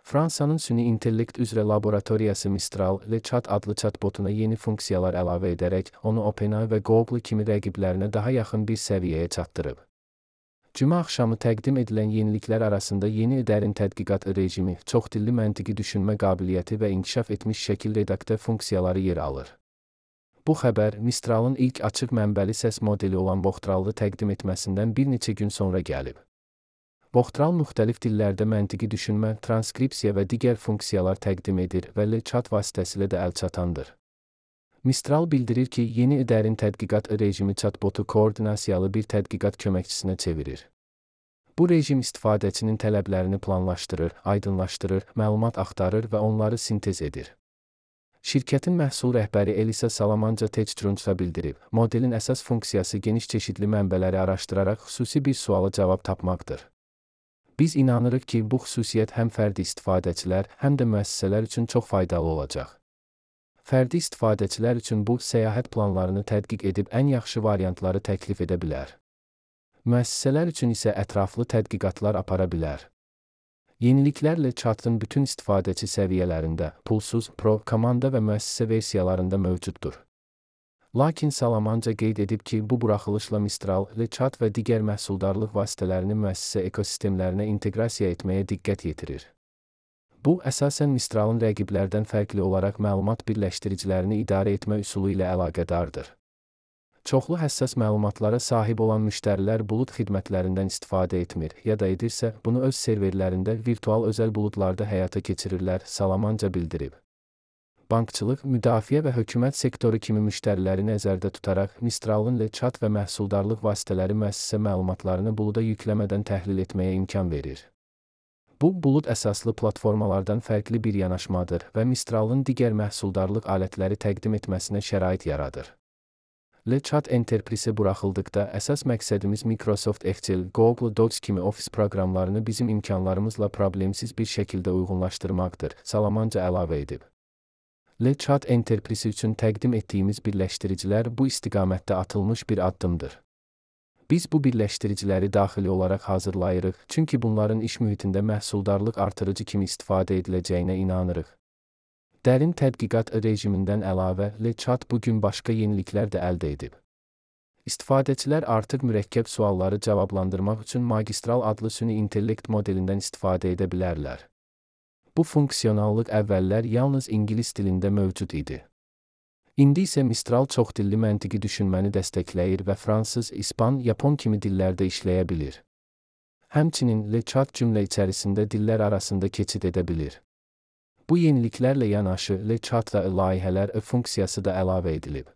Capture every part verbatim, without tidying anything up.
Fransanın süni intellekt üzrə laboratoriyası Mistral, LeChat adlı chatbotuna yeni funksiyalar əlavə edərək, onu OpenAI və Google kimi rəqiblərinə daha yaxın bir səviyyəyə çatdırıb. Cümə axşamı təqdim edilən yeniliklər arasında yeni dərin tədqiqat rejimi, çoxdilli məntiqi düşünmə qabiliyyəti və inkişaf etmiş şəkil redaktə funksiyaları yer alır. Bu xəbər, Mistralın ilk açıq mənbəli səs modeli olan Voxtral'ı təqdim etməsindən bir neçə gün sonra gəlib. Voxtral müxtəlif dillərdə məntiqi düşünmə, transkripsiya və digər funksiyalar təqdim edir və LeChat vasitəsilə də əlçatandır. Mistral bildirir ki, yeni dərin tədqiqat rejimi chatbotu koordinasiyalı bir tədqiqat köməkçisinə çevirir. Bu rejim istifadəçinin tələblərini planlaşdırır, aydınlaşdırır, məlumat axtarır və onları sintez edir. Şirkətin məhsul rəhbəri Elisa Salamanca Techtrunç'a bildirib, modelin əsas funksiyası geniş çeşidli mənbələri araşdıraraq xüsusi bir suala cavab tapmaqdır. Biz inanırıq ki, bu xüsusiyyət həm fərdi istifadəçilər, həm də müəssisələr üçün çox faydalı olacaq. Fərdi istifadəçilər üçün bu, səyahət planlarını tədqiq edib ən yaxşı variantları təklif edə bilər. Müəssisələr üçün isə ətraflı tədqiqatlar apara bilər. Yeniliklərlə chatın bütün istifadəçi səviyyələrində, pulsuz, pro, komanda və müəssisə versiyalarında mövcuddur. Lakin Salamanca qeyd edib ki, bu buraxılışla Mistral, LeChat və digər məhsuldarlıq vasitələrini müəssisə ekosistemlərinə inteqrasiya etməyə diqqət yetirir. Bu, əsasən Mistralın rəqiblərdən fərqli olaraq məlumat birləşdiricilərini idarə etmə üsulu ilə əlaqədardır. Çoxlu həssas məlumatlara sahib olan müştərilər bulud xidmətlərindən istifadə etmir, ya da edirsə, bunu öz serverlərində virtual özəl buludlarda həyata keçirirlər, Salamanca bildirib. Bankçılıq, müdafiə və hökumət sektoru kimi müştəriləri nəzərdə tutaraq, Mistralın LeChat və məhsuldarlıq vasitələri müəssisə məlumatlarını buluda yükləmədən təhlil etməyə imkan verir. Bu, bulud əsaslı platformalardan fərqli bir yanaşmadır və Mistralın digər məhsuldarlıq alətləri təqdim etməsinə şərait yaradır. LeChat Enterprise buraxıldıqda əsas məqsədimiz Microsoft Excel, Google Docs kimi ofis proqramlarını bizim imkanlarımızla problemsiz bir şəkildə uyğunlaşdırmaqdır, Salamanca əlavə edib. LeChat Enterprise üçün təqdim etdiyimiz birləşdiricilər bu istiqamətdə atılmış bir addımdır. Biz bu birləşdiriciləri daxili olaraq hazırlayırıq, çünki bunların iş mühitində məhsuldarlıq artırıcı kimi istifadə ediləcəyinə inanırıq. Dərin tədqiqat rejimindən əlavə, LeChat bugün başqa yeniliklər də əldə edib. İstifadəçilər artıq mürəkkəb sualları cavablandırmaq üçün Magistral adlı süni intellekt modelindən istifadə edə bilərlər. Bu funksionallıq əvvəllər yalnız ingilis dilində mövcud idi. İndi isə Mistral çoxdilli məntiqi düşünməni dəstəkləyir və fransız, ispan, yapon kimi dillərdə işləyə bilir. Həmçinin LeChat cümlə içərisində dillər arasında keçid edə bilir. Bu yeniliklərlə yanaşı, LeChatda layihələr funksiyası da əlavə edilib.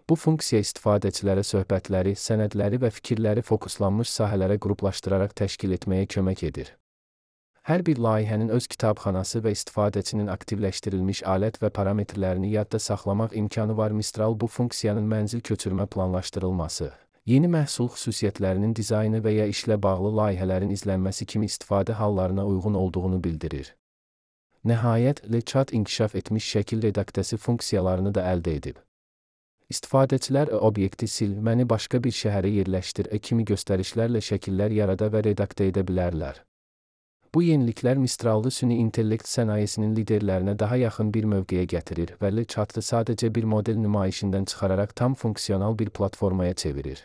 Bu funksiya istifadəçilərə söhbətləri, sənədləri və fikirləri fokuslanmış sahələrə qruplaşdıraraq təşkil etməyə kömək edir. Hər bir layihənin öz kitabxanası və istifadəçinin aktivləşdirilmiş alət və parametrlərini yadda saxlamaq imkanı var. Mistral bu funksiyanın mənzil köçürmə planlaşdırılması, yeni məhsul xüsusiyyətlərinin dizaynı və ya işlə bağlı layihələrin izlənməsi kimi istifadə hallarına uyğun olduğunu bildirir. Nəhayət, LeChat inkişaf etmiş şəkil redaktəsi funksiyalarını da əldə edib. İstifadəçilər obyekti sil, məni başqa bir şəhərə yerləşdir kimi göstərişlərlə şəkillər yarada və redaktə edə bilərlər. Bu yeniliklər Mistrallı süni intellekt sənayesinin liderlərinə daha yaxın bir mövqeyə gətirir və LeChatı sadəcə bir model nümayişindən çıxararaq tam funksional bir platformaya çevirir.